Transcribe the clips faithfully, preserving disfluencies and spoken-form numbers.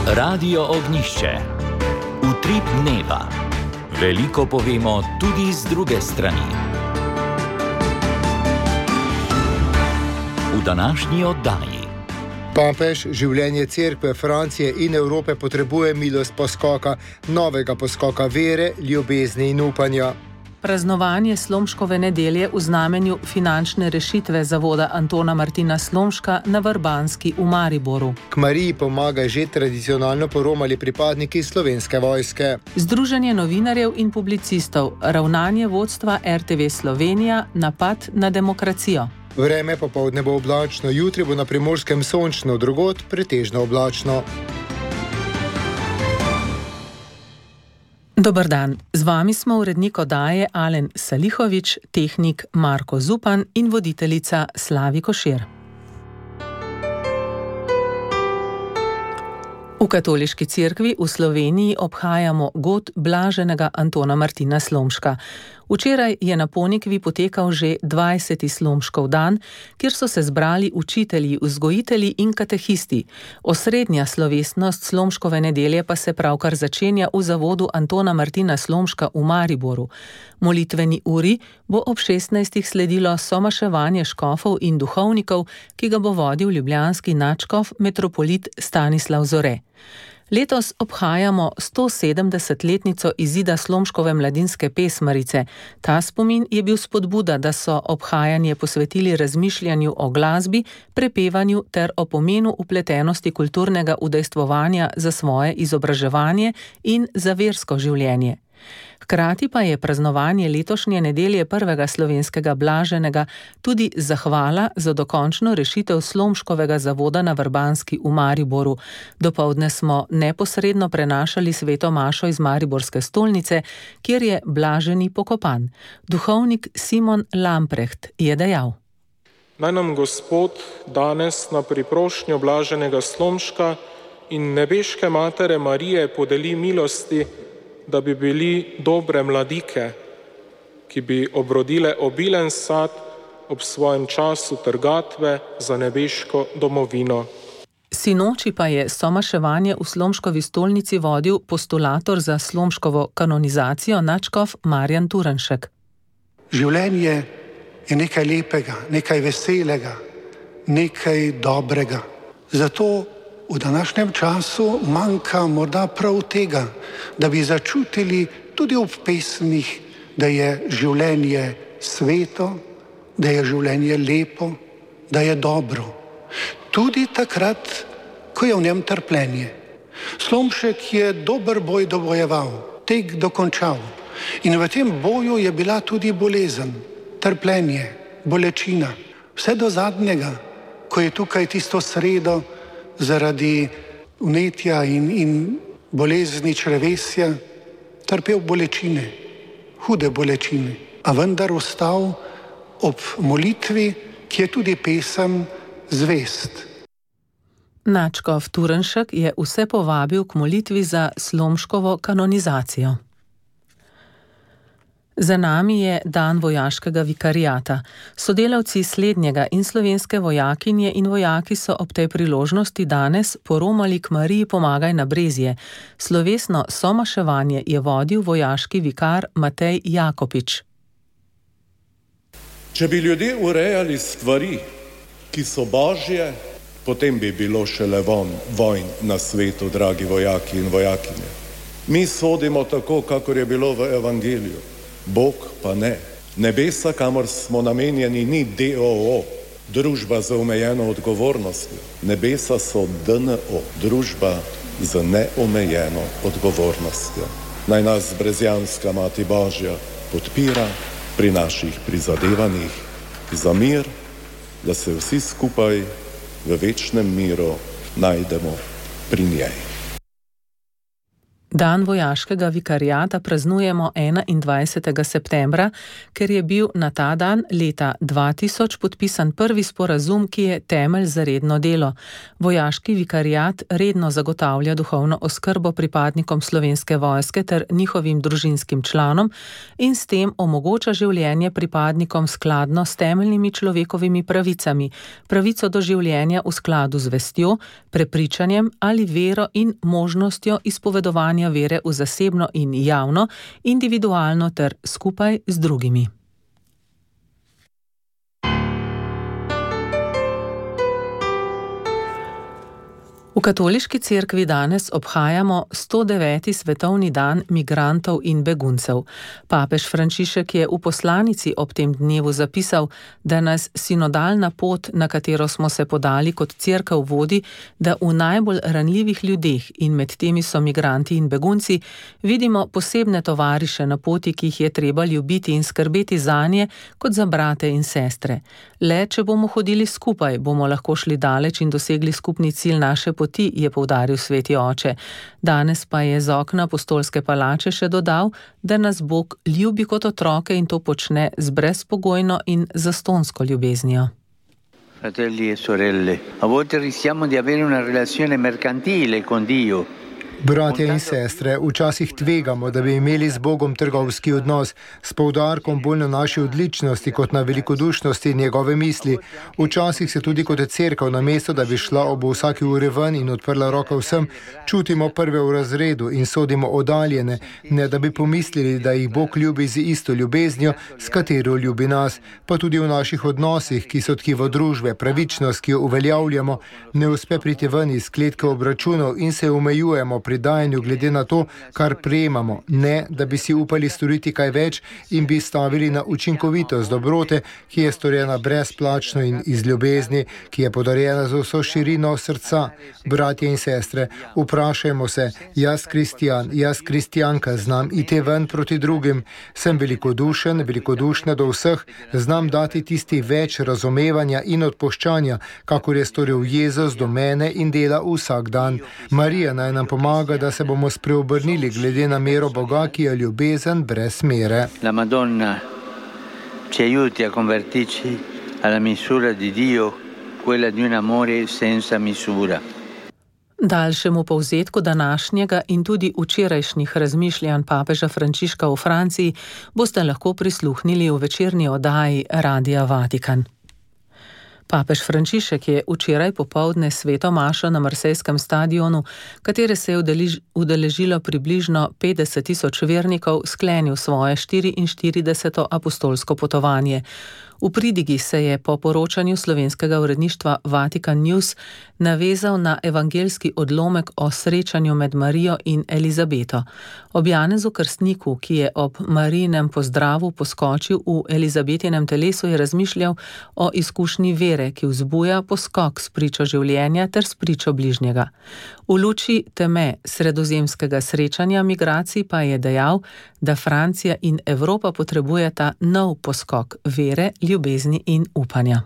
Radio Ognjišče. Utrip dneva. Veliko povemo tudi z druge strani. V današnji oddaji. Papež, življenje Cerkve, Francije in Evrope potrebuje milost poskoka, novega poskoka vere, ljubezni in upanja. Praznovanje Slomškove nedelje v znamenju finančne rešitve zavoda Antona Martina Slomška na Vrbanski v Mariboru. K Mariji pomaga že tradicionalno poromali pripadniki Slovenske vojske. Združenje novinarjev in publicistov, ravnanje vodstva R T V Slovenija, napad na demokracijo. Vreme popoldne bo oblačno, jutri bo na Primorskem sončno, drugod pretežno oblačno. Dober dan, z vami smo urednik oddaje Alen Salihovič, tehnik Marko Zupan in voditeljica Slavi Košir. V Katoliški cerkvi v Sloveniji obhajamo god blaženega Antona Martina Slomška. Včeraj je na Ponikvi potekal že dvajseti Slomškov dan, kjer so se zbrali učitelji, vzgojitelji in katehisti. Osrednja slovesnost Slomškove nedelje pa se pravkar začenja v zavodu Antona Martina Slomška v Mariboru. Molitveni uri bo ob šestnajstih sledilo somaševanje škofov in duhovnikov, ki ga bo vodil ljubljanski nadškof metropolit Stanislav Zore. Letos obhajamo stosedemdesetletnico izida Slomškove mladinske pesmarice. Ta spomin je bil spodbuda, da so obhajanje posvetili razmišljanju o glasbi, prepevanju ter o pomenu vpletenosti kulturnega udejstvovanja za svoje izobraževanje in za versko življenje. Hkrati pa je praznovanje letošnje nedelje prvega slovenskega blaženega tudi zahvala za dokončno rešitev Slomškovega zavoda na Vrbanski v Mariboru. Dopoldne smo neposredno prenašali sveto mašo iz mariborske stolnice, kjer je blaženi pokopan. Duhovnik Simon Lamprecht je dejal: Naj nam Gospod danes na priprošnjo blaženega Slomška in nebeške matere Marije podeli milosti, da bi bili dobre mladike, ki bi obrodile obilen sad ob svojem času trgatve za nebeško domovino. Sinoči pa je somaševanje v Slomškovi stolnici vodil postulator za Slomškovo kanonizacijo nadškof Marjan Turnšek. Življenje je nekaj lepega, nekaj veselega, nekaj dobrega. Zato v današnjem času manjka morda prav tega, da bi začutili tudi ob pesmih, da je življenje sveto, da je življenje lepo, da je dobro. Tudi takrat, ko je v njem trpljenje. Slomšek je dober boj dobojeval, tek dokončal. In v tem boju je bila tudi bolezen, trpljenje, bolečina. Vse do zadnjega, ko je tukaj tisto sredo zaradi vnetja in, in bolezni črevesja trpel bolečine, hude bolečine, a vendar ostal ob molitvi, ki je tudi pesem zvest. Nadškof Turnšek je vse povabil k molitvi za Slomškovo kanonizacijo. Za nami je dan vojaškega vikariata. Sodelavci slednjega in slovenske vojakinje in vojaki so ob tej priložnosti danes poromali k Mariji Pomagaj na Brezje. Slovesno somaševanje je vodil vojaški vikar Matej Jakopič. Če bi ljudje urejali stvari, ki so božje, potem bi bilo šele von, vojn na svetu, dragi vojaki in vojakinje. Mi sodimo tako, kakor je bilo v evangeliju. Bog pa ne. Nebesa, kamor smo namenjeni, ni D O O, družba z omejeno odgovornostjo. Nebesa so D N O, družba z neomejeno odgovornostjo. Naj nas brezjanska Mati Božja podpira pri naših prizadevanjih za mir, da se vsi skupaj v večnem miru najdemo pri njej. Dan vojaškega vikariata praznujemo enaindvajsetega septembra, ker je bil na ta dan leta dva tisoč podpisan prvi sporazum, ki je temelj za redno delo. Vojaški vikariat redno zagotavlja duhovno oskrbo pripadnikom Slovenske vojske ter njihovim družinskim članom in s tem omogoča življenje pripadnikom skladno s temeljnimi človekovimi pravicami, pravico do življenja v skladu z vestjo, prepričanjem ali vero in možnostjo izpovedovanja vere v zasebno in javno, individualno ter skupaj z drugimi. V katoliški cerkvi danes obhajamo sto deveti svetovni dan migrantov in beguncev. Papež Frančišek je v poslanici ob tem dnevu zapisal, da nas sinodalna pot, na katero smo se podali kot cerkev, vodi, da v najbolj ranljivih ljudeh, in med temi so migranti in begunci, vidimo posebne tovariše na poti, ki jih je treba ljubiti in skrbeti zanje kot za brate in sestre. Le, če bomo hodili skupaj, bomo lahko šli daleč in dosegli skupni cilj naše poti, je poudaril sveti oče. Danes pa je z okna apostolske palače še dodal, da nas Bog ljubi kot otroke in to počne z brezpogojno in zastonsko ljubeznijo. Fratelli e sorelle, a volte rischiamo di avere una relazione mercantile con Dio. Bratje in sestre, včasih tvegamo, da bi imeli z Bogom trgovski odnos, s poudarkom bolj na naši odličnosti kot na velikodušnosti njegove misli. Včasih se tudi kot cerkev, namesto da bi šla ob vsaki uri ven in odprla roke vsem, čutimo prve v razredu in sodimo oddaljene, ne da bi pomislili, da jih Bog ljubi z isto ljubeznijo, s katero ljubi nas, pa tudi v naših odnosih, ki so tkivo družbe, pravičnost, ki jo uveljavljamo, ne uspe priti ven iz kletke obračunov in se omejujemo pri dajanju glede na to, kar prejemamo, ne da bi si upali storiti kaj več in bi stavili na učinkovitost dobrote, ki je storjena brezplačno in iz ljubezni, ki je podarjena za vso širino srca. Bratje in sestre, vprašajmo se, jaz kristijan, jaz kristijanka, znam iti ven proti drugim, sem velikodušen, velikodušna do vseh, znam dati tisti več razumevanja in odpuščanja, kakor je storil Jezus do mene in dela vsak dan. Marija naj nam pomaga, da se bomo spreobrnili glede na mero Boga, ki je ljubezen brez mere. La Madonna ci aiuti a convertirci alla misura di Dio, quella di un amore senza misura. Daljšemu povzetku današnjega in tudi včerajšnjih razmišljanj papeža Frančiška v Franciji boste lahko prisluhnili v večerni oddaji Radia Vatikan. Papež Frančišek je včeraj popoldne sveto mašo na marsejskem stadionu, katere se je udeležilo približno petdeset tisoč vernikov, sklenil svoje štiriinštirideseto apostolsko potovanje. V pridigi se je po poročanju slovenskega uredništva Vatikan News navezal na evangeljski odlomek o srečanju med Marijo in Elizabeto. Ob Janezu Krstniku, ki je ob Marijinem pozdravu poskočil v Elizabetinem telesu, je razmišljal o izkušnji vere, ki vzbuja poskok s pričo življenja ter s pričo bližnjega. V luči teme sredozemskega srečanja migracij pa je dejal, da Francija in Evropa potrebujeta nov poskok vere, ljubezni in upanja.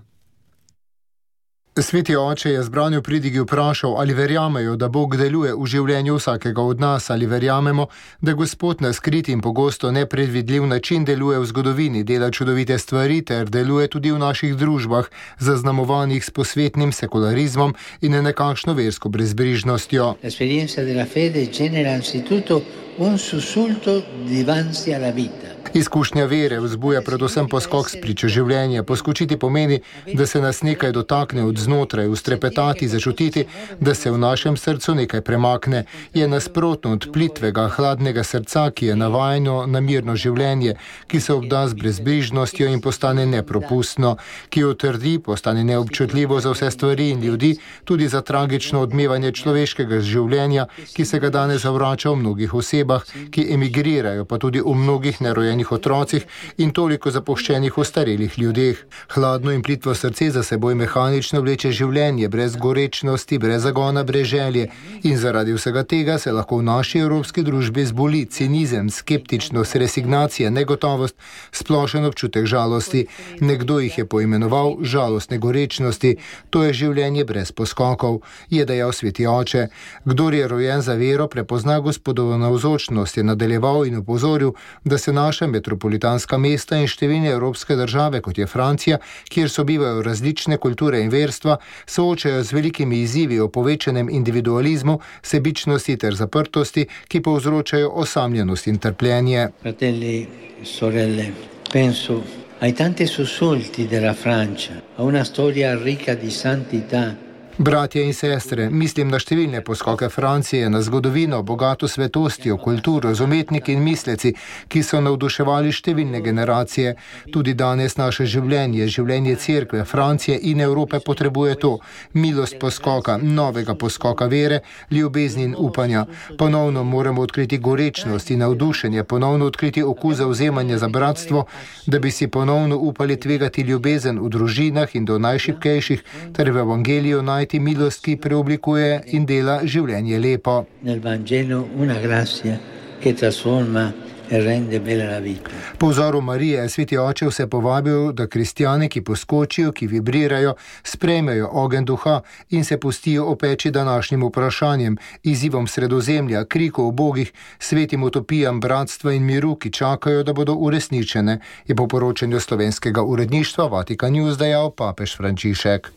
Sveti oče je zbranju pridigi vprašal, ali verjamejo, da Bog deluje v življenju vsakega od nas, ali verjamemo, da Gospod na skrit in pogosto nepredvidljiv način deluje v zgodovini, dela čudovite stvari ter deluje tudi v naših družbah, zaznamovanih s posvetnim sekularizmom in nekakšno versko brezbrižnostjo. L'esperienza della fede genera anzitutto un sussulto divanzi alla vita. Izkušnja vere vzbuja predvsem poskok s pričo življenja. Poskočiti pomeni, da se nas nekaj dotakne od znotraj, ustrepetati, začutiti, da se v našem srcu nekaj premakne. Je nasprotno od plitvega, hladnega srca, ki je navajeno na mirno življenje, ki se obda z brezbrižnostjo in postane nepropustno, ki jo trdi, postane neobčutljivo za vse stvari in ljudi, tudi za tragično odmevanje človeškega življenja, ki se ga danes zavrača v mnogih osebah, ki emigrirajo, pa tudi v mnogih nerojenih zapuščenih otrocih in toliko zapuščenih ostarelih ljudeh. Hladno in plitvo srce za seboj mehanično vleče življenje, brez gorečnosti, brez zagona, brez želje. In zaradi vsega tega se lahko v naši evropski družbi zboli cinizem, skeptičnost, resignacija, negotovost, splošen občutek žalosti. Nekdo jih je poimenoval žalostne gorečnosti. To je življenje brez poskokov, je dejal sveti oče. Kdor je rojen za vero, prepozna Gospodovo navzočnost, je nadaljeval in opozoril, da se naša metropolitanska mesta in številne evropske države, kot je Francija, kjer sobivajo različne kulture in verstva, soočajo z velikimi izzivi o povečanem individualizmu, sebičnosti ter zaprtosti, ki povzročajo osamljenost in trpljenje. Fratelli, sorelle, penso ai tanti sussulti della Francia, a una storia ricca di santità. Bratje in sestre, mislim na številne poskoke Francije, na zgodovino, bogato svetostjo, kulturo, z umetniki in misleci, ki so navduševali številne generacije. Tudi danes naše življenje, življenje cerkve, Francije in Evrope potrebuje to. Milost poskoka, novega poskoka vere, ljubezni in upanja. Ponovno moramo odkriti gorečnost in navdušenje, ponovno odkriti okus zauzemanja za bratstvo, da bi si ponovno upali tvegati ljubezen v družinah in do najšibkejših, ter v evangeliju najti milost, ki preoblikuje in dela življenje lepo. Nel Vangelo una grazia che trasforma e rende bella la vita. Po vzoru Marije je sveti oče vse povabil, da kristjane, ki poskočijo, ki vibrirajo, sprejmejo ogenj duha in se pustijo opeči današnjim vprašanjem, izzivom Sredozemlja, kriku o bogih, svetim utopijam bratstva in miru, ki čakajo, da bodo uresničene, je po poročanju slovenskega uredništva Vatikan News dejal papež Frančišek.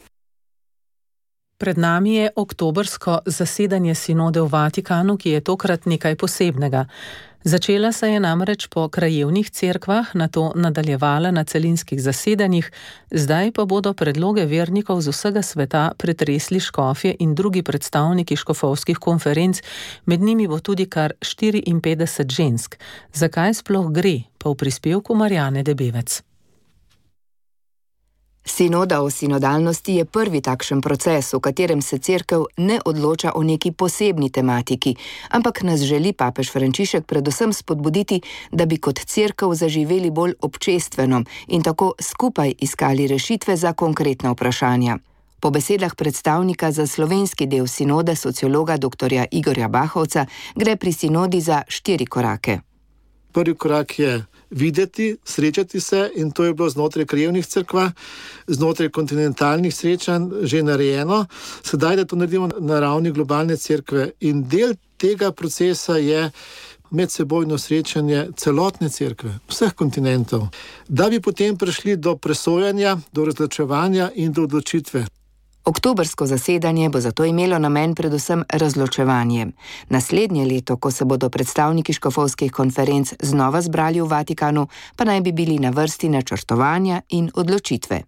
Pred nami je oktobrsko zasedanje sinode v Vatikanu, ki je tokrat nekaj posebnega. Začela se je namreč po krajevnih cerkvah, nato nadaljevala na celinskih zasedanjih, zdaj pa bodo predloge vernikov z vsega sveta pretresli škofje in drugi predstavniki škofovskih konferenc, med njimi bo tudi kar štiriinpetdeset žensk. Zakaj sploh gre, pa v prispevku Marjane Debevec. Sinoda o sinodalnosti je prvi takšen proces, v katerem se cerkev ne odloča o neki posebni tematiki, ampak nas želi papež Frančišek predvsem spodbuditi, da bi kot cerkev zaživeli bolj občestveno in tako skupaj iskali rešitve za konkretna vprašanja. Po besedah predstavnika za slovenski del sinode, sociologa doktorja Igorja Bahovca, gre pri sinodi za štiri korake. Prvi korak je videti, srečati se, in to je bilo znotraj krajevnih cerkva, znotraj kontinentalnih srečanj že narejeno. Sedaj, da to naredimo na ravni globalne cerkve, in del tega procesa je medsebojno srečanje celotne cerkve, vseh kontinentov, da bi potem prišli do presojanja, do razločevanja in do odločitve. Oktobrsko zasedanje bo zato imelo namen predvsem razločevanje. Naslednje leto, ko se bodo predstavniki škofovskih konferenc znova zbrali v Vatikanu, pa naj bi bili na vrsti načrtovanja in odločitve.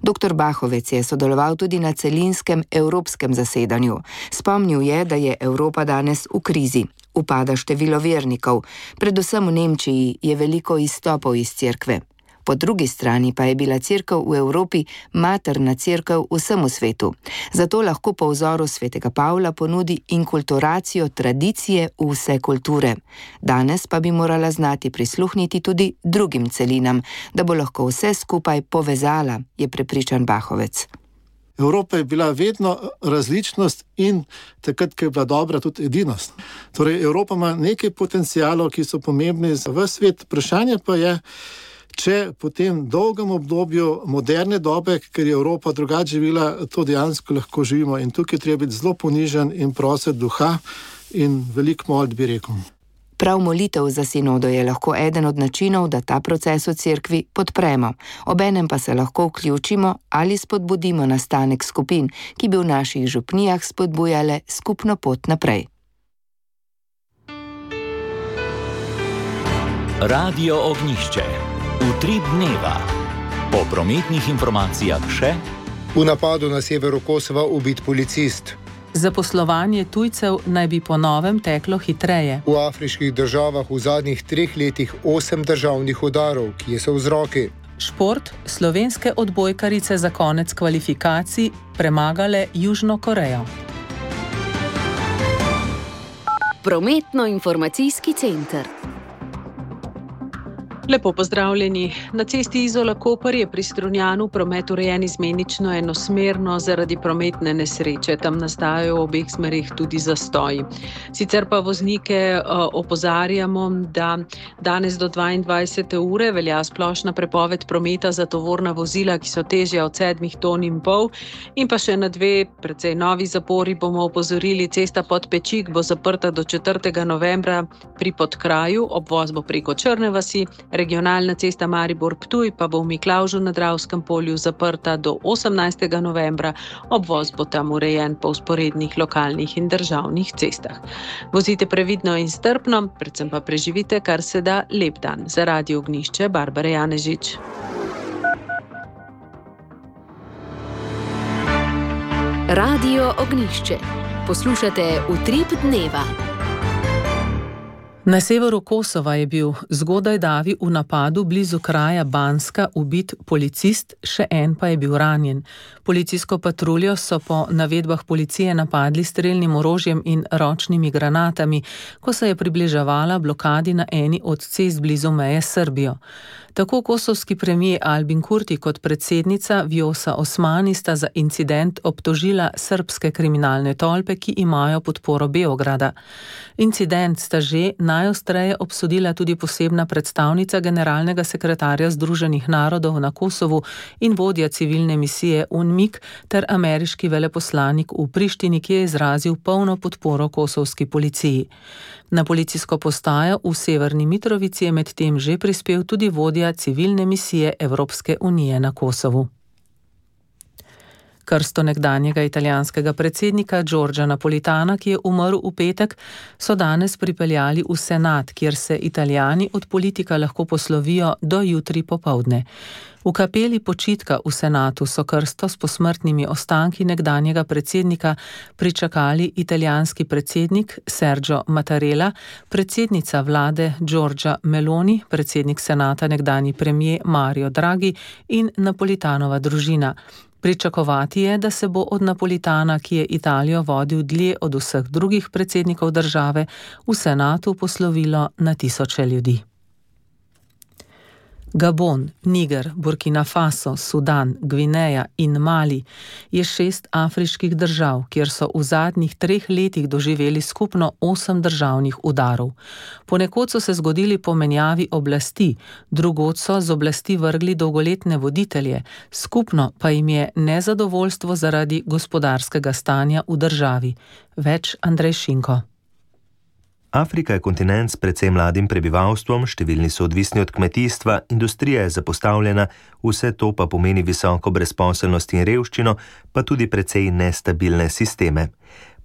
Doktor Bahovec je sodeloval tudi na celinskem evropskem zasedanju. Spomnil je, da je Evropa danes v krizi. Upada število vernikov. Predvsem v Nemčiji je veliko izstopov iz cerkve. Po drugi strani pa je bila cerkev v Evropi materna cerkev vsemu svetu. Zato lahko po vzoru svetega Pavla ponudi inkulturacijo tradicije v vse kulture. Danes pa bi morala znati prisluhniti tudi drugim celinam, da bo lahko vse skupaj povezala, je prepričan Bahovec. Evropa je bila vedno različnost in takrat, ko je bila dobra, tudi edinost. Torej, Evropa ima nekaj potencialov, ki so pomembni za ves svet. Vprašanje pa je, če po tem dolgem obdobju moderne dobe, ker je Evropa drugače živela, to dejansko lahko živimo. In tukaj treba biti zelo ponižen in prositi duha in veliko molit, bi rekel. Prav molitev za sinodo je lahko eden od načinov, da ta proces v cerkvi podpremo. Obenem pa se lahko vključimo ali spodbudimo nastanek skupin, ki bi v naših župnijah spodbujale skupno pot naprej. Radio Ognjišče. Utrip dneva. Po prometnih informacijah še: v napadu na severu Kosova ubit policist. Zaposlovanje tujcev naj bi po novem teklo hitreje. V afriških državah v zadnjih treh letih osem državnih udarov, kje so vzroki. Šport, slovenske odbojkarice za konec kvalifikacij premagale Južno Korejo. Prometno-informacijski center. Lepo pozdravljeni. Na cesti Izola-Koper je pri Strunjanu promet urejen izmenično enosmerno zaradi prometne nesreče. Tam nastajajo v obeh smerih tudi zastoji. Sicer pa voznike uh, opozarjamo, da danes do dvaindvajsete ure velja splošna prepoved prometa za tovorna vozila, ki so težja od sedmih ton in pol. In pa še na dve precej novi zapori bomo opozorili. Cesta pod Pečik bo zaprta do četrtega novembra pri Podkraju, obvoz bo preko Črne vasi. Regionalna cesta Maribor-Ptuj pa bo v Miklavžu na Dravskem polju zaprta do osemnajstega novembra. Obvoz bo tam urejen po vzporednih lokalnih in državnih cestah. Vozite previdno in strpno, predvsem pa preživite kar se da lep dan. Za Radio Ognjišče, Barbara Janežič. Radio Ognjišče. Poslušate Utrip dneva. Na severu Kosova je bil zgodaj davi v napadu blizu kraja Banska ubit policist, še en pa je bil ranjen. Policijsko patruljo so po navedbah policije napadli strelnim orožjem in ročnimi granatami, ko se je približevala blokadi na eni od cest blizu meje s Srbijo. Tako kosovski premijer Albin Kurti kot predsednica Vjosa Osmani sta za incident obtožila srbske kriminalne tolpe, ki imajo podporo Beograda. Incident sta že najostreje obsodila tudi posebna predstavnica generalnega sekretarja Združenih narodov na Kosovu in vodja civilne misije UNMIK ter ameriški veleposlanik v Prištini, ki je izrazil polno podporo kosovski policiji. Na policijsko postajo v Severni Mitrovici je medtem že prispel tudi vodja civilne misije Evropske unije na Kosovu. Krsto nekdanjega italijanskega predsednika Giorgia Napolitana, ki je umrl v petek, so danes pripeljali v senat, kjer se Italijani od politika lahko poslovijo do jutri popoldne. V kapeli počitka v senatu so krsto s posmrtnimi ostanki nekdanjega predsednika pričakali italijanski predsednik Sergio Mattarella, predsednica vlade Giorgia Meloni, predsednik senata nekdanji premijer Mario Draghi in Napolitanova družina. Pričakovati je, da se bo od Napolitana, ki je Italijo vodil dlje od vseh drugih predsednikov države, v senatu poslovilo na tisoče ljudi. Gabon, Niger, Burkina Faso, Sudan, Gvineja in Mali je šest afriških držav, kjer so v zadnjih treh letih doživeli skupno osem državnih udarov. Ponekod so se zgodili po menjavi oblasti, drugod so z oblasti vrgli dolgoletne voditelje, skupno pa jim je nezadovoljstvo zaradi gospodarskega stanja v državi. Več Andrej Šinko. Afrika je kontinent s precej mladim prebivalstvom, številni so odvisni od kmetijstva, industrija je zapostavljena, vse to pa pomeni visoko brezposelnost in revščino, pa tudi precej nestabilne sisteme.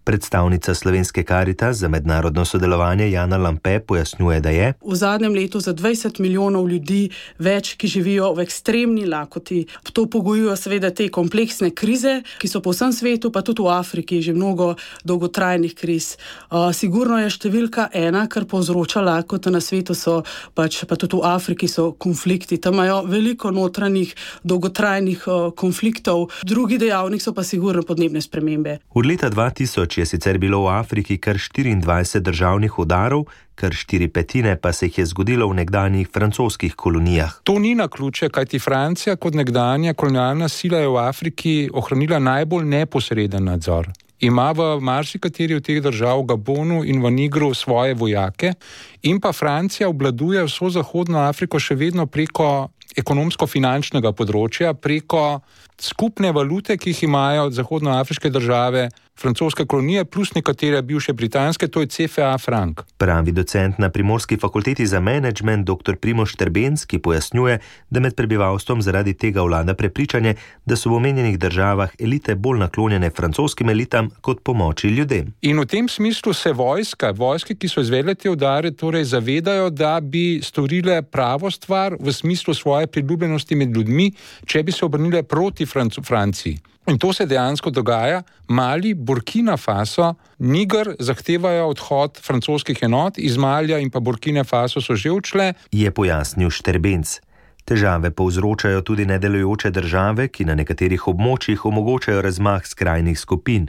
Predstavnica Slovenske Karitas za mednarodno sodelovanje Jana Lampe pojasnjuje, da je v zadnjem letu za dvajset milijonov ljudi več, ki živijo v ekstremni lakoti. To pogojujo seveda te kompleksne krize, ki so po vsem svetu, pa tudi v Afriki, že mnogo dolgotrajnih kriz. Uh, sigurno je številka ena, kar povzroča lakoto na svetu, so pač, pa tudi v Afriki so konflikti. Tam imajo veliko notranjih dolgotrajnih uh, konfliktov. Drugi dejavnik so pa sigurno podnebne spremembe. Od leta dva tisoč je sicer bilo v Afriki kar štiriindvajset državnih udarov, kar štiri petine pa se jih je zgodilo v nekdanjih francoskih kolonijah. To ni naključje, kajti Francija kot nekdanja kolonialna sila je v Afriki ohranila najbolj neposreden nadzor. Ima v marsikateri od teh držav, v Gabonu in v Nigru, svoje vojake in pa Francija obvladuje vso zahodno Afriko še vedno preko ekonomsko-finančnega področja, preko skupne valute, ki jih imajo zahodnoafriške države, francoske kolonije plus nekatere bivše britanske, to je C F A frank. Pravi docent na Primorski fakulteti za menedžment dr. Primož Štrbenc, ki pojasnjuje, da med prebivalstvom zaradi tega vlada prepričanje, da so v omenjenih državah elite bolj naklonjene francoskim elitam kot pomoči ljudem. In v tem smislu se vojska, vojske, ki so izvedle te udare, torej zavedajo, da bi storile pravo stvar v smislu svoje priljubljenosti med ljudmi, če bi se obrnile proti Franc- Franciji. In to se dejansko dogaja. Mali, Burkina Faso, Niger zahtevajo odhod francoskih enot, iz Malija in pa Burkina Faso so že odšle. Je pojasnil Štrbenc. Težave povzročajo tudi nedelujoče države, ki na nekaterih območjih omogočajo razmah skrajnih skupin.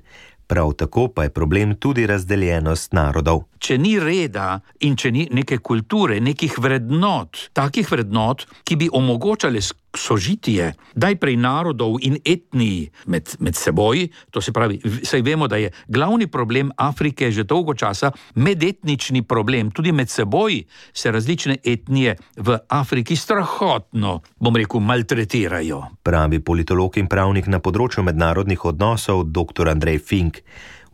Prav tako pa je problem tudi razdeljenost narodov. Če ni reda in če ni neke kulture, nekih vrednot, takih vrednot, ki bi omogočale sožitje najprej narodov in etnij med, med seboj, to se pravi, saj vemo, da je glavni problem Afrike že dolgo časa medetnični problem, tudi med seboj se različne etnije v Afriki strahotno, bom rekel, maltretirajo. Pravi politolog in pravnik na področju mednarodnih odnosov doktor Andrej Fink.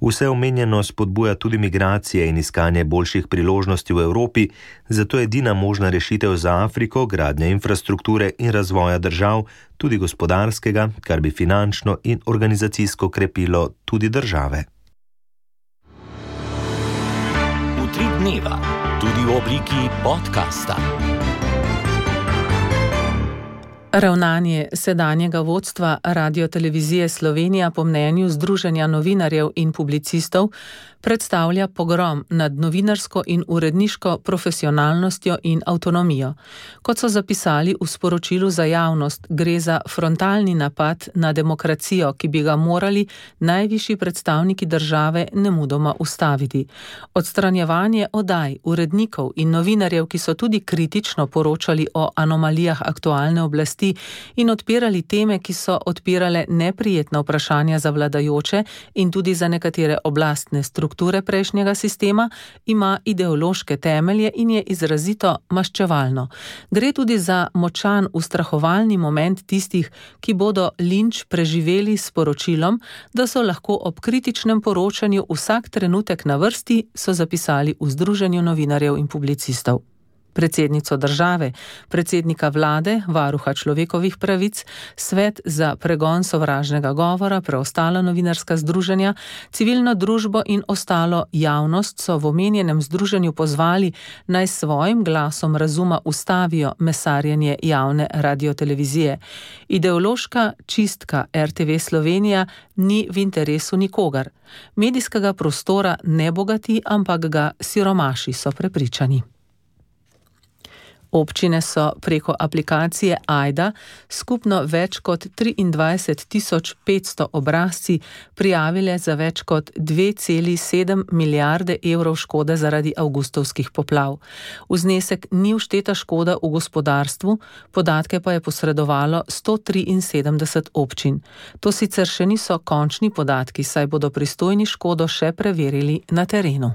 Vse omenjeno spodbuja tudi migracije in iskanje boljših priložnosti v Evropi, zato je edina možna rešitev za Afriko gradnja infrastrukture in razvoja držav, tudi gospodarskega, kar bi finančno in organizacijsko krepilo tudi države. Utrip dneva, tudi v obliki podcasta. Ravnanje sedanjega vodstva Radiotelevizije Slovenija po mnenju Združenja novinarjev in publicistov predstavlja pogrom nad novinarsko in uredniško profesionalnostjo in avtonomijo. Kot so zapisali v sporočilu za javnost, gre za frontalni napad na demokracijo, ki bi ga morali najvišji predstavniki države nemudoma ustaviti. Odstranjevanje oddaj, urednikov in novinarjev, ki so tudi kritično poročali o anomalijah aktualne oblasti in odpirali teme, ki so odpirale neprijetna vprašanja za vladajoče in tudi za nekatere oblastne strukture prejšnjega sistema, ima ideološke temelje in je izrazito maščevalno. Gre tudi za močan ustrahovalni moment tistih, ki bodo linč preživeli s poročilom, da so lahko ob kritičnem poročanju vsak trenutek na vrsti, so zapisali v Združenju novinarjev in publicistov. Predsednico države, predsednika vlade, varuha človekovih pravic, svet za pregon sovražnega govora, preostala novinarska združenja, civilno družbo in ostalo javnost so v omenjenem združenju pozvali, naj svojim glasom razuma ustavijo mesarjenje javne radiotelevizije. Ideološka čistka R T V Slovenija ni v interesu nikogar. Medijskega prostora ne bogati, ampak ga siromaši, so prepričani. Občine so preko aplikacije Ajda skupno več kot triindvajset tisoč petsto obrazci prijavile za več kot dve celi sedem milijarde evrov škode zaradi avgustovskih poplav. V znesek ni všteta škoda v gospodarstvu, podatke pa je posredovalo sto triinsedemdeset občin. To sicer še niso končni podatki, saj bodo pristojni škodo še preverili na terenu.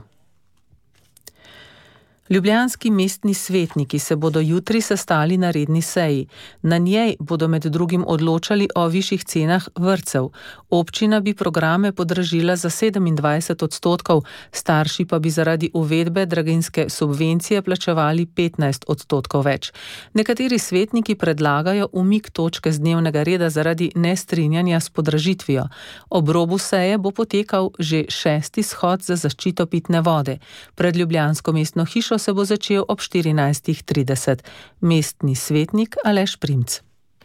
Ljubljanski mestni svetniki se bodo jutri sestali na redni seji. Na njej bodo med drugim odločali o višjih cenah vrtcev. Občina bi programe podražila za sedemindvajset odstotkov, starši pa bi zaradi uvedbe draginjske subvencije plačevali petnajst odstotkov več. Nekateri svetniki predlagajo umik točke z dnevnega reda zaradi nestrinjanja s podražitvijo. Ob robu seje bo potekal že šesti shod za zaščito pitne vode. Pred ljubljansko mestno hišo se bo začel ob štirinajstih trideset. Mestni svetnik Aleš Primc.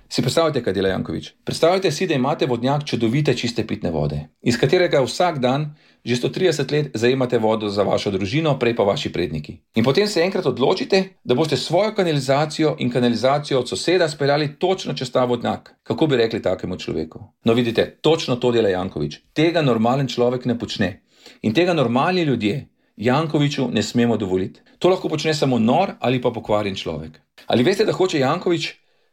Si predstavljate, kaj dela Janković? Predstavljate si, da imate vodnjak čudovite čiste pitne vode, iz katerega vsak dan že sto trideset let zajemate vodo za vašo družino, prej pa vaši predniki. In potem se enkrat odločite, da boste svojo kanalizacijo in kanalizacijo od soseda speljali točno čez ta vodnjak. Kako bi rekli takemu človeku? No vidite, točno to dela Janković. Tega normalen človek ne počne. In tega normalni ljudje Jankoviću ne smemo dovoliti. To lahko počne samo nor ali pa pokvarjen človek. Ali veste, da hoče Janković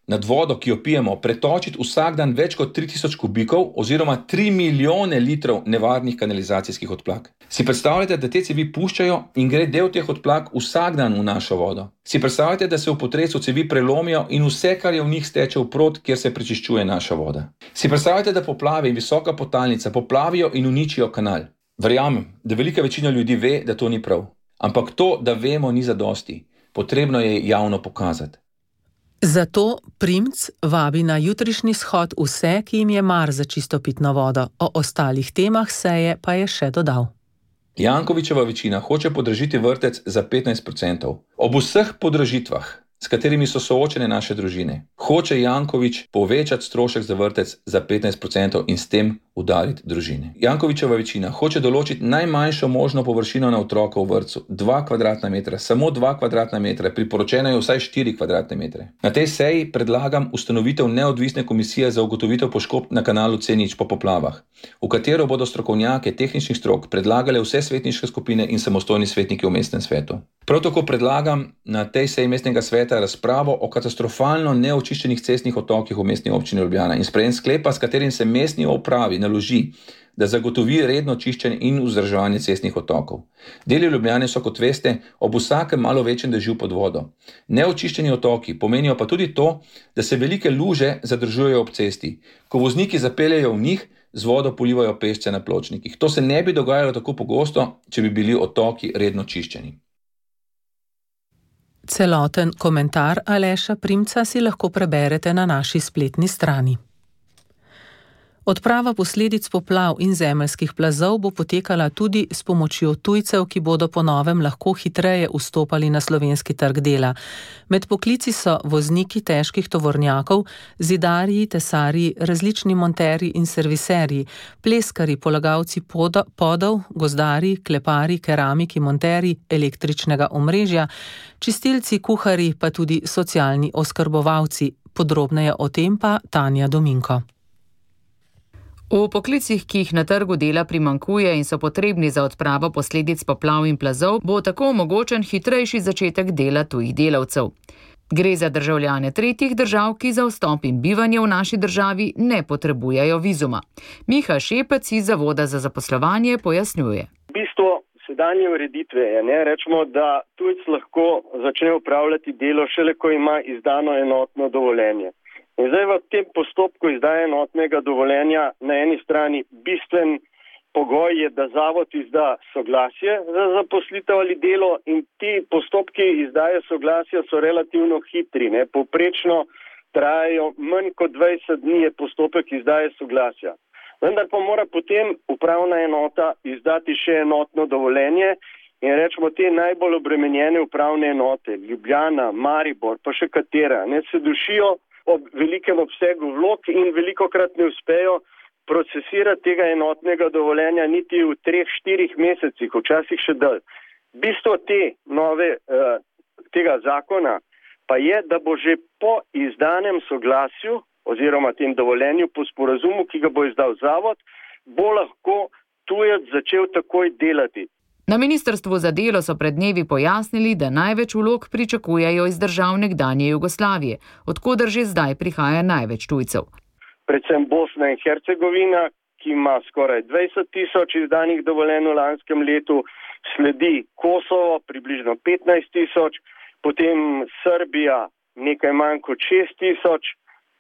nad vodo, ki jo pijemo, pretočiti vsak dan več kot tri tisoč kubikov oziroma tri milijone litrov nevarnih kanalizacijskih odplak? Si predstavljate, da te cevi puščajo in gre del teh odplak vsak dan v našo vodo? Si predstavljate, da se v potresu cevi prelomijo in vse, kar je v njih, steče v prod, kjer se prečiščuje naša voda? Si predstavljate, da poplave in visoka potalnica poplavijo in uničijo kanal? Verjamem, da velika večina ljudi ve, da to ni prav. Ampak to, da vemo, ni zadosti. Potrebno je javno pokazati. Zato Primc vabi na jutrišnji shod vse, ki jim je mar za čisto pitno vodo. O ostalih temah seje pa je še dodal. Jankovićeva večina hoče podražiti vrtec za petnajst procentov. Ob vseh podražitvah s katerimi so soočene naše družine. Hoče Janković povečati strošek za vrtec za petnajst procentov in s tem udariti družine. Jankovićeva večina hoče določiti najmanjšo možno površino na otroka v vrtcu, dva kvadratna metra, samo dva kvadratna metra, priporočeno je vsaj štiri kvadratne metre. Na tej seji predlagam ustanovitev neodvisne komisije za ugotovitev poškodb na kanalu C nič po poplavah, v katero bodo strokovnjake tehničnih strok predlagale vse svetniške skupine in samostojni svetniki v mestnem svetu. Prav tako predlagam na tej seji mestnega sveta razpravo o katastrofalno neočiščenih cestnih otokih v mestni občini Ljubljana in sprejem sklepa, s katerim se mestni upravi naloži, da zagotovi redno čiščenje in vzdrževanje cestnih otokov. Deli Ljubljane so, kot veste, ob vsakem malo večjem dežju pod vodo. Neočiščeni otoki pomenijo pa tudi to, da se velike luže zadržujejo ob cesti. Ko vozniki zapeljejo v njih, z vodo polivajo pešce na pločnikih. To se ne bi dogajalo tako pogosto, če bi bili otoki redno čiščeni. Celoten komentar Aleša Primca si lahko preberete na naši spletni strani. Odprava posledic poplav in zemeljskih plazov bo potekala tudi s pomočjo tujcev, ki bodo po novem lahko hitreje vstopali na slovenski trg dela. Med poklici so vozniki težkih tovornjakov, zidarji, tesarji, različni monterji in serviserji, pleskarji, polagalci podov, gozdarji, kleparji, keramiki, monterji električnega omrežja, čistilci, kuharji, pa tudi socialni oskrbovalci. Podrobneje o tem pa Tanja Dominko. V poklicih, ki jih na trgu dela primanjkuje in so potrebni za odpravo posledic poplav in plazov, bo tako omogočen hitrejši začetek dela tujih delavcev. Gre za državljane tretjih držav, ki za vstop in bivanje v naši državi ne potrebujejo vizuma. Miha Šepec iz Zavoda za zaposlovanje pojasnjuje. V bistvu sedanje ureditve je, ne, rečemo, da tujec lahko začne upravljati delo šele, ko ima izdano enotno dovoljenje. In zdaj v tem postopku izdaje enotnega dovoljenja na eni strani bistven pogoj je, da zavod izda soglasje za zaposlitev ali delo in ti postopki izdaje soglasja so relativno hitri. Ne. Povprečno trajajo manj kot dvajset dni je postopek izdaje soglasja. Vendar pa mora potem upravna enota izdati še enotno dovoljenje in rečemo te najbolj obremenjene upravne enote, Ljubljana, Maribor, pa še katera, ne, se dušijo ob velikem obsegu vlog in velikokrat ne uspejo procesirati tega enotnega dovoljenja niti v treh, štirih mesecih, včasih še dalj. Bistvo te nove, tega zakona pa je, da bo že po izdanem soglasju oziroma tem dovoljenju po sporazumu, ki ga bo izdal zavod, bo lahko tujec začel takoj delati. Na Ministrstvu za delo so pred dnevi pojasnili, da največ vlog pričakujejo iz držav nekdanje Jugoslavije, od koder že zdaj prihaja največ tujcev. Predvsem Bosna in Hercegovina, ki ima skoraj dvajset tisoč izdanih dovoljenj v lanskem letu, sledi Kosovo, približno petnajst tisoč, potem Srbija nekaj manj kot šest tisoč,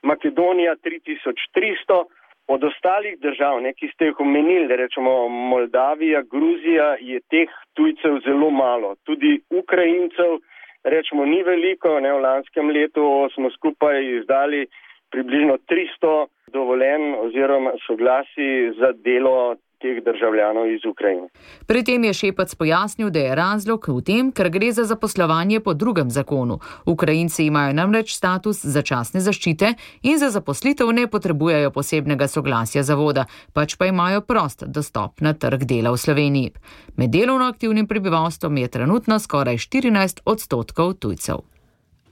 Makedonija tri tisoč tristo. Od ostalih držav, ne, ki ste jih omenili, rečemo Moldavija, Gruzija, je teh tujcev zelo malo. Tudi Ukrajincev, rečemo, ni veliko, ne, v lanskem letu smo skupaj izdali približno tristo dovoljenj oziroma soglasij za delo teh državljanov iz Ukrajine. Pri tem je Šepec pojasnil, da je razlog v tem, ker gre za zaposlovanje po drugem zakonu. Ukrajinci imajo namreč status začasne zaščite in za zaposlitev ne potrebujejo posebnega soglasja zavoda, pač pa imajo prost dostop na trg dela v Sloveniji. Med delovno aktivnim prebivalstvom je trenutno skoraj štirinajst odstotkov tujcev.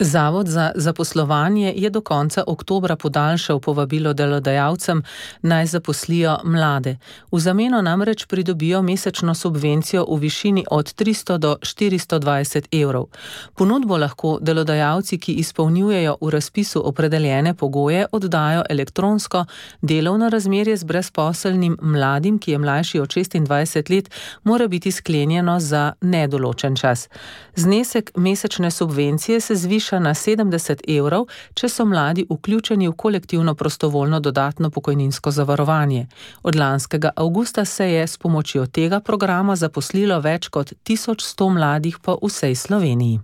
Zavod za zaposlovanje je do konca oktobra podaljšal povabilo delodajalcem, naj zaposlijo mlade. V zameno namreč pridobijo mesečno subvencijo v višini od tristo do štiristo dvajset evrov. Ponudbo lahko delodajalci, ki izpolnjujejo v razpisu opredeljene pogoje, oddajo elektronsko, delovno razmerje z brezposelnim mladim, ki je mlajši od šestindvajset let, mora biti sklenjeno za nedoločen čas. Znesek mesečne subvencije se zviša na sedemdeset evrov, če so mladi vključeni v kolektivno prostovoljno dodatno pokojninsko zavarovanje. Od lanskega avgusta se je s pomočjo tega programa zaposlilo več kot tisoč sto mladih po vsej Sloveniji.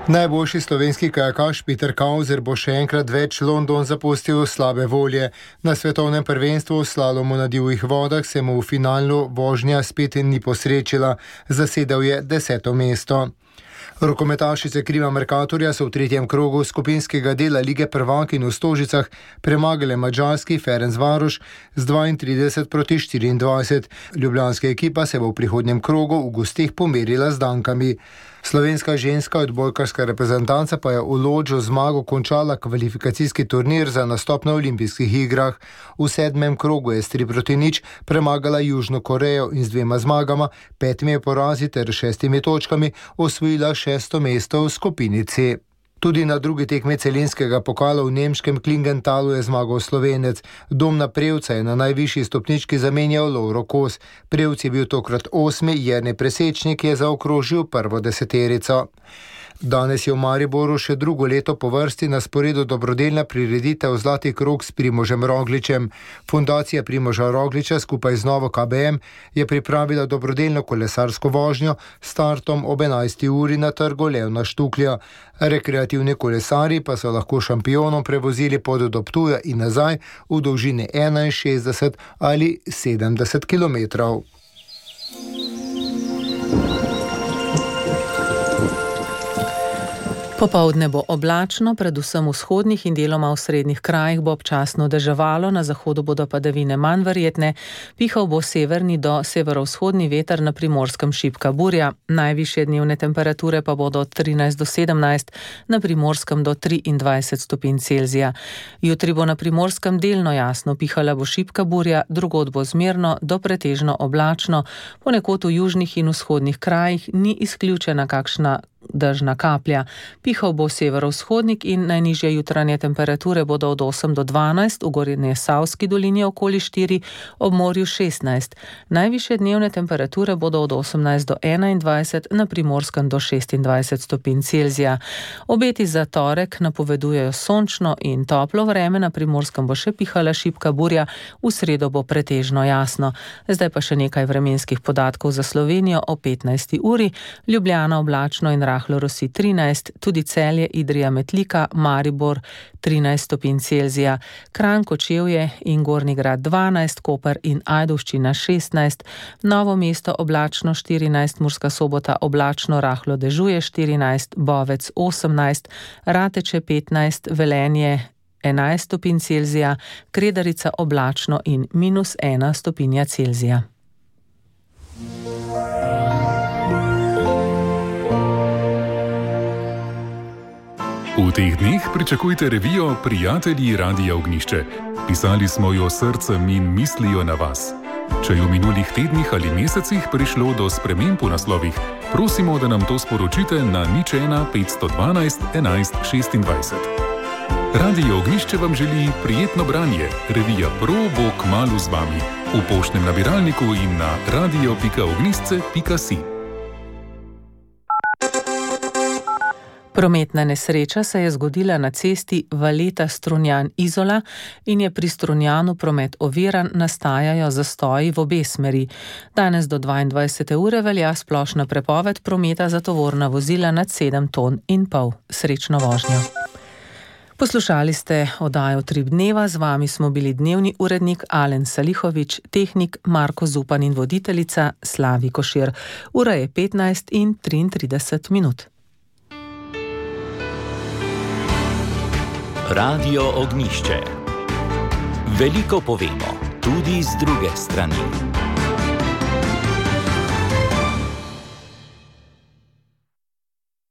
Najboljši slovenski kajakaš Peter Kauzer bo še enkrat več London zapustil slabe volje. Na svetovnem prvenstvu v slalomu na divjih vodah se mu v finalu vožnja spet ni posrečila, zasedel je deseto mesto. Rokometašice Kriva Mercatorja so v tretjem krogu skupinskega dela Lige prvakinj v Stožicah premagale madžarski Ferencvaroš z dvaintrideset proti štiriindvajset. Ljubljanska ekipa se bo v prihodnjem krogu v gosteh pomerila z Dankami. Slovenska ženska odbojkarska reprezentanca pa je v Lodžu zmago končala kvalifikacijski turnir za nastop na olimpijskih igrah. V sedmem krogu je s tri proti nič premagala Južno Korejo in z dvema zmagama, petimi porazi ter šestimi točkami osvojila šesto mesto v skupini C. Tudi na drugi tekmi celinskega pokala v nemškem Klingentalu je zmagal Slovenec. Domna Prevca je na najvišji stopnički zamenjal Lovro Kos. Prevc je bil tokrat osmi, Jernej Presečnik je zaokrožil prvo deseterico. Danes je v Mariboru še drugo leto po vrsti na sporedu dobrodelna prireditev Zlati krog s Primožem Rogličem. Fundacija Primoža Rogliča skupaj z Novo K B M je pripravila dobrodelno kolesarsko vožnjo s startom ob enajsti uri na trgu Levna Štuklja. Rekreativni kolesarji pa so lahko šampionom prevozili pot do Ptuja in nazaj v dolžini enainšestdeset ali sedemdeset kilometrov. Popoldne bo oblačno, predvsem v vzhodnih in deloma v srednjih krajih bo občasno deževalo, na zahodu bodo padavine manj verjetne, pihal bo severni do severovzhodni veter, na Primorskem šibka burja. Najvišje dnevne temperature pa bodo od trinajst do sedemnajst, na Primorskem do triindvajset stopinj Celzija. Jutri bo na Primorskem delno jasno, pihala bo šibka burja, drugod bo zmerno do pretežno oblačno, ponekod v južnih in vzhodnih krajih ni izključena kakšna dežna kaplja. Pihal bo severovzhodnik in najnižje jutranje temperature bodo od osem do dvanajst, v Gornjesavski dolini okoli štiri, ob morju šestnajst. Najvišje dnevne temperature bodo od osemnajst do enaindvajset, na Primorskem do šestindvajset stopinj Celzija. Obeti za torek napovedujejo sončno in toplo vreme, na Primorskem bo še pihala šibka burja, v sredo bo pretežno jasno. Zdaj pa še nekaj vremenskih podatkov za Slovenijo o petnajsti uri. Ljubljana oblačno in rahlo rosi trinajst, tudi Celje, Idrija, Metlika, Maribor trinajst stopinj Celzija, Kranj, Kočevje in Gornji Grad dvanajst, Koper in Ajdovščina šestnajst, Novo mesto oblačno štirinajst, Murska Sobota oblačno rahlo dežuje štirinajst, Bovec osemnajst, Rateče petnajst, Velenje enajst stopinj Celzija, Kredarica oblačno in minus ena stopinja Celzija. V teh dneh pričakujte revijo Prijatelji Radia Ognjišče. Pisali smo jo srcem in mislijo na vas. Če je v minulih tednih ali mesecih prišlo do sprememb v naslovih, prosimo, da nam to sporočite na nič ena petsto dvanajst enajst šestindvajset. Radio Ognjišče vam želi prijetno branje. Revija Pro bo kmalu z vami. V poštnem nabiralniku in na radio pika ognjišče pika si. Prometna nesreča se je zgodila na cesti Valeta-Strunjan-Izola in je pri Strunjanu promet oviran, nastajajo zastoji v obe smeri. Danes do dvaindvajsete ure velja splošna prepoved prometa za tovorna vozila nad sedem ton in pol. Srečno vožnjo. Poslušali ste oddajo Trip dneva, z vami smo bili dnevni urednik Alen Salihovič, tehnik Marko Zupan in voditeljica Slavi Košir. Ura je petnajst in triintrideset minut. Radio Ognjišče. Veliko povemo, tudi z druge strani.